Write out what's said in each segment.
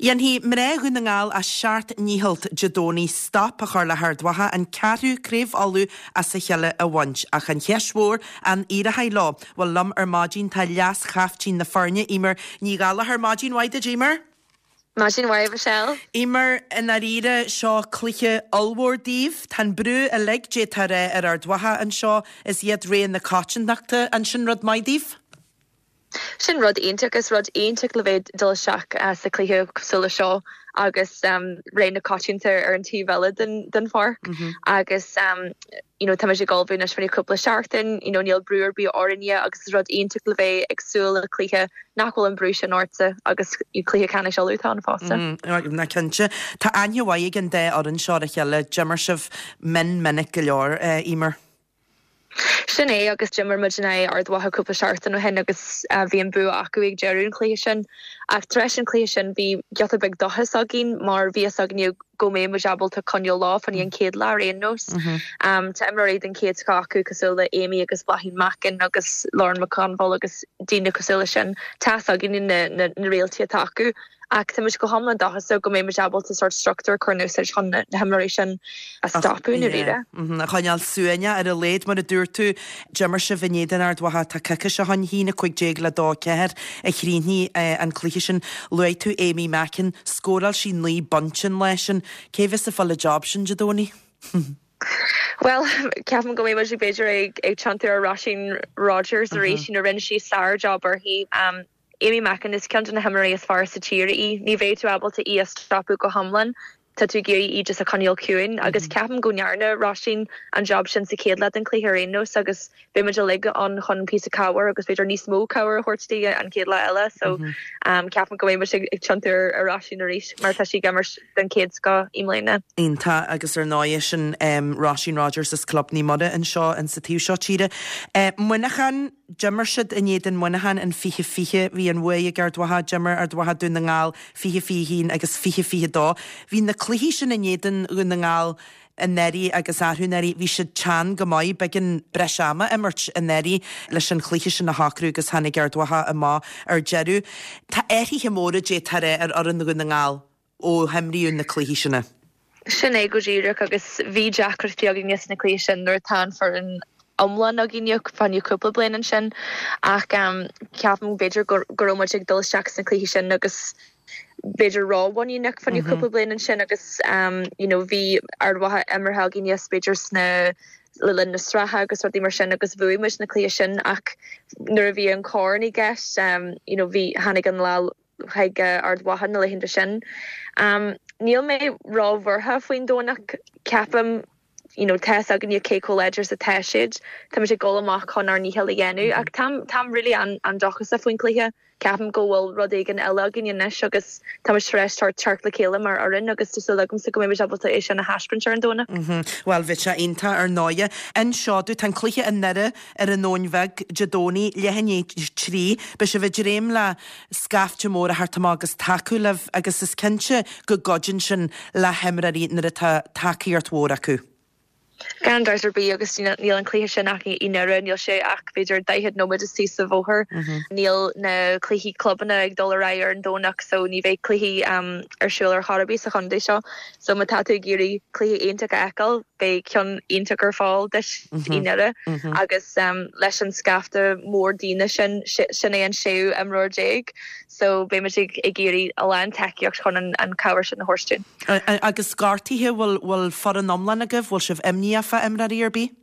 Dhéanfaidh mná Dhún na nGall a seacht ndícheall Dé Domhnaigh stop a chur le hArd Mhacha an ceathrú Craobh Uladh as a chéile a bhaint. Ach an cheist mhór, an éireoidh leo? Bhuel, liom ar maidin tá leas-chaiftín na foirne, Eimear Ní Ghallchóir. Maidin mhaith duit, Eimear. Maidin mhaith, Michelle. Eimear, i ndáiríre, seo cluiche ollmhór daoibh. Tá an brú uilig, d'fhéadfá a rá, ar Ard Mhacha anseo is iad rogha na coitiantachta. An sin rud maith daoibh? Sin rud iontach. Is rud iontach le bheith ag dul isteach sa chluiche cosúil le seo agus rogha na coitianta ar an taobh eile den pháirc agus you know táimid ag ullmhú anois fá choinne cúpla seachtain, you know níl brú ar bith orainne agus is rud iontach le bheith ag súil le cluiche nach bhfuil an brú sin ortsa agus cluiche ceannais Uladh atá ann fosta. Ná cinnte. Tá aithne mhaith ag an dá fhoireann seo ar a chéile. D'imir sibh mion minic go leor, Eimear. Sin é agus d'imir muid in aghaidh Ard Mhacha cúpla seachtain ó shin agus bhí an bua acu ag deireadh an chluiche sin. Ach tar éis an chluiche sin bhí giota beag dóchas againn mar bhí fhios againne go mbeadh muid ábalta coinneáil leo fá choinne an chéad lá ar aon nós. Tá imreoirí den chéad scoth acu cosúil le Amy agus Bláithín Mackin agus Lauren McConville agus daoine cosúil leis sin. Tá fhios againne na réaltaí atá acu. Ach tá muid go hiomlán dóchasach go mbeidh muid ábalta sórt struchtúr a chur in úsáid chun na himreoirí sin a stopadh i ndáiríre. A choinneáil suaimhneach ar a laghad, mar a dúirt tú. D'imir sibh in éadan Ard Mhacha, tá coicís ó shin, 1-15 le 2-4 a chríochnaigh an cluiche sin. Luaigh tú Amy Mackin, scóráil sí 9 bpointe an lá sin. Cé bheas ag fáil an job sin Dé Domhnaigh? Bhuel, ceapaim go mbeidh muid b'fhéidir ag tiontú ar Róisín Rogers arís, you know rinne sí sár-job uirthi. Amy Mackin, is ceann de na himreoirí is fearr sa tír í. Ní bheidh tú ábalta í a stopadh go hiomlán, tá tú ag iarraidh í just a choinneáil ciúin agus ceapaim go ndearna Róisín an job sin sa chéad leath den chluiche ar aon nós agus beidh muid uilig ann chun píosa cabhair agus b'fhéidir níos mó cabhair a thabhairt di an chéad lá eile so ceapaim go mbeidh muid ag tiontú ar Róisín arís mar tá sí ag imirt den chéad scoth i mbliana. Iontach agus ar ndóigh sin Róisín Rogers as Club Naomh Muire anseo in sa taobh seo tíre. Muineachán. D'imir siad in éadan Muineacháin in 2020, bhí an bhuaidh ag Ard Mhacha, d'imir Ard Mhacha Dún na nGall 2021 agus 2022. Bhí na cluichí sin in éadan Dhún na nGall anuraidh agus arú anuraidh, bhí siad teann go maith, b'éigean breis ama a imirt anuraidh leis an chluiche sin a shocrú agus tháinig Ard Mhacha amach ar deireadh. Tá athruithe móra d'fhéadfá a rá ar fhoireann Dhún na nGall. ó himríodh na cluichí sin. Sin é go díreach agus bhí deacrachtaí againne sna cluichí sin nuair atá an foireann iomlán againne fá choinne cúpla bliain ansin ach ceapaim b'fhéidir go raibh muid ag dul isteach sna cluichí sin agus b'fhéidir rómhuiníneach fá choinne cúpla bliain ansin agus you know bhí Ard Mhacha imeartha againne b'fhéidir sna le linn na sraithe agus rudaí mar sin agus bhuaigh muid na cluichí sin ach nuair a bhí an corn i gceist you know bhí tháinig an lá chuig Ard Mhacha na laethanta sin. Níl mé róbhuartha faoin Domhnach. Ceapaim, you know, tá fhios againne cé chomh láidir is atá siad. Táimid ag dul amach chun ár ndícheall a dhéanamh ach táim, táim really an-dóchasach faoin chluiche. Ceapaim go bhfuil rud éigin eile againn anois agus táimid tar éis teacht le chéile mar fhoireann agus tá súil agamsa go mbeimid ábalta é sin a thaispeáint ar an Domhnach. Bhuel, bheadh sé iontach ar ndóighe. Anseo, tá an cluiche i nDoire ar an Nóin Bheag Dé Domhnaigh, leath i ndiaidh a 3. Beidh sibh ag dréim le scaifte mór a theacht amach agus tacú libh agus is cinnte go gcuidíonn sin le himreoirí nuair atá tacaíocht mhór acu. Gan dabht ar bith agus níl an cluiche sin ach i nDoire, níl sé ach b'fhéidir 40 nóiméad istigh sa bhóthar. Níl na cluichí clubanna ag dul ar aghaidh ar an Domhnach so ní bheidh cluichí ar siúl ar chor ar bith sa chontae seo. So má tá tú ag iarraidh cluiche iontach a fheiceáil, beidh ceann iontach ar fáil duit i nDoire agus leis an scaifte mór daoine sin, sin é an séú imreoir déag so beidh muid ag iarraidh a lán tacaíocht chun an cabhair sin a thabhairt dúinn. Agus gortuithe, bhfuil foireann iomlán agaibh, bhfuil sibh imníoch fá imreoirí ar bith?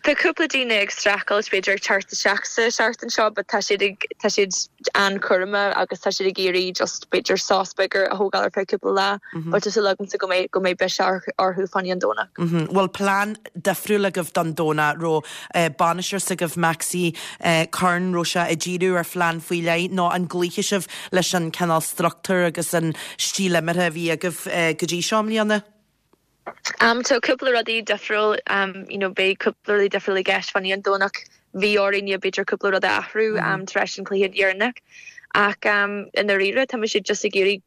Tá cúpla daoine ag streachailt b'fhéidir ag teacht isteach sa seachtain seo but tá siad ag tá siad an-chúramach agus tá siad ag iarraidh just b'fhéidir sos beag a thógáil ar feadh cúpla lá but tá súil agamsa go mbeidh go mbeidh biseach orthu fá choinne an Domhnach. Bhfuil plean difriúil agaibh don Domhnach? Raibh bainisteoir s'agaibh Maxi Curran raibh sé ag díriú ar phlean faoi leith nó an gcloífidh sibh leis an cineál struchtúr agus an stíl imeartha a bhí agaibh go dtí seo i mbliana? Tá cúpla rudaí difriúil, you know beidh cúpla rudaí difriúil i gceist fá choinne an Domhnach. Bhí orainn b'fhéidir cúpla rud a athrú tar éis an cluiche dheireanach ach i ndáiríre tá muid just ag iarraidh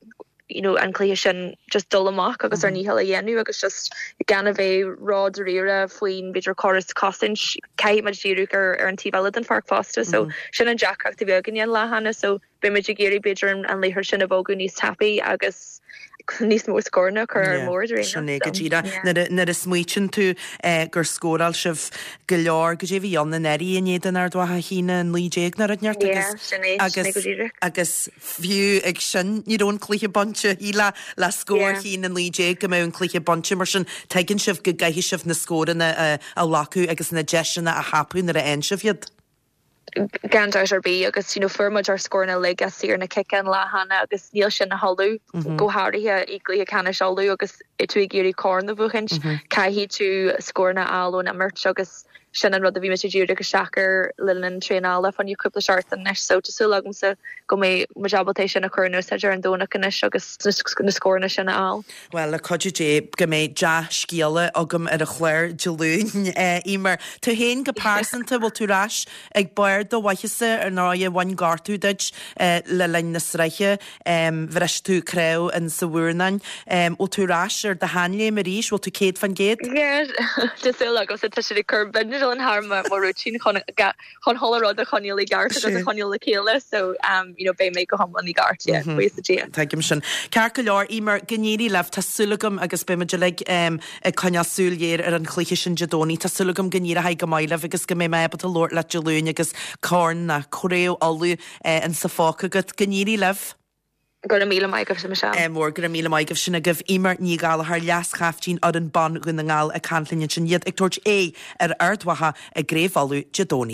you know an cluiche sin just dul amach agus ár ndícheall a dhéanamh agus just gan a bheith ró-dáiríre faoin b'fhéidir córas cosaint. Caithfidh muid díriú ar ar an taobh eile den pháirc fosta so sin an deacracht a bhí againne an lá cheana so. beidh muid ag iarraidh b'fhéidir an liathróid sin a bhogadh níos tapaidh agus níos mó scóranna a chur ar an mbord ar aon nós. Sin é go díreach. Nuair a smaoitíonn tú gur scóráil sibh go leor, goidé a bhí ann anuraidh in éadan Ard Mhacha, 1-19 nó rud inteacht agus Sin é, sin é go díreach. agus fiú ag sin ní raibh an cluiche bainte, shílfeá le scór 1-19 go mbeadh an cluiche bainte mar sin tuigeann sibh go gcaithfidh sibh na scóranna a ghlacadh agus na deiseanna a thapú nuair a fhaigheann sibh iad. Gan dabht ar bith agus you know fuair muid ár scóranna uilig as saor na cice an lá cheana agus níl sin a thuilleadh, go háirithe i gcluiche ceannais Uladh agus tú ag iarraidh corn a bhuachaint, caithfidh tú scóranna a fháil ón imirt agus sin an rud a bhí muid ag díriú isteach air le linn traenála fá choinne cúpla seachtain anois so tá súil agamsa go mbeidh muid ábalta é sin a chur in úsáid ar an Domhnach anois agus na scóranna sin a fháil. Bhuel, le cuidiú Dé, go mbeidh dea-scéala agam ar an chlár Dé Luain, Eimear. Tú féin go pearsanta, bhfuil tú ar ais ag barr do mhaitheasa, ar ndóighe, bhain gortú duit le linn na sraithe, bhris tú cnámh in sa mhurnán. Bhfuil tú ar ais ar do sheanléim arís? Bhfuil tú 100%? Yeah, tá súil agamsa, tá siad ag cur bindealán thar mo rúitín chun chun chuile rud a choinneáil i gceart agus a choinneáil le chéile so um you know beidh mé go hiomlán i gceart yeah buíochas le Dia. Tuigim sin. Ceart go leor, Eimear, go n-éirí libh, tá súil agam agus beidh muid uilig ag coinneáil súil ghéar ar an chluiche sin Dé Domhnaigh, tá súil agam go n-éireoidh go maith libh agus go mbeidh mé ábalta labhairt leat Dé Luain agus corn ná craobh Uladh insa phóca agat. Go n-éirí libh. Go raibh míle maith agaibh, Michelle. Ádh mór, go raibh míle maith agaibh. Sin agaibh Eimear Ní Ghallchóir, Leas-Chaiftín fhoireann ban Dhún na nGall ag caint linn ansin, iad ag tabhairt aghaidh ar Ard Mhacha i gCraobh Uladh Dé Domhnaigh.